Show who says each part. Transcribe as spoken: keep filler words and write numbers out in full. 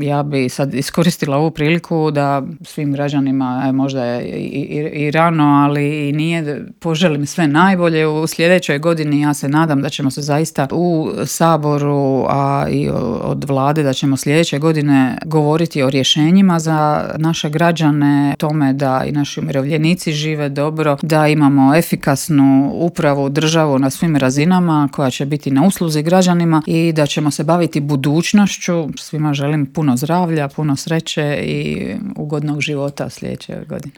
Speaker 1: Ja bi sad iskoristila ovu priliku da svim građanima, e, možda je i, i, i rano, ali i nije, poželim sve najbolje u sljedećoj godini. Ja se nadam da ćemo se zaista u Saboru, a i od vlade, da ćemo sljedeće godine govoriti o rješenjima za naše građane, tome da i naši umirovljenici žive dobro, da imamo efikasnu upravu, državu na svim razinama koja će biti na usluzi građanima i da ćemo se baviti budućnošću. Svima želim puno zdravlja, puno sreće i ugodnog života sljedeće godine.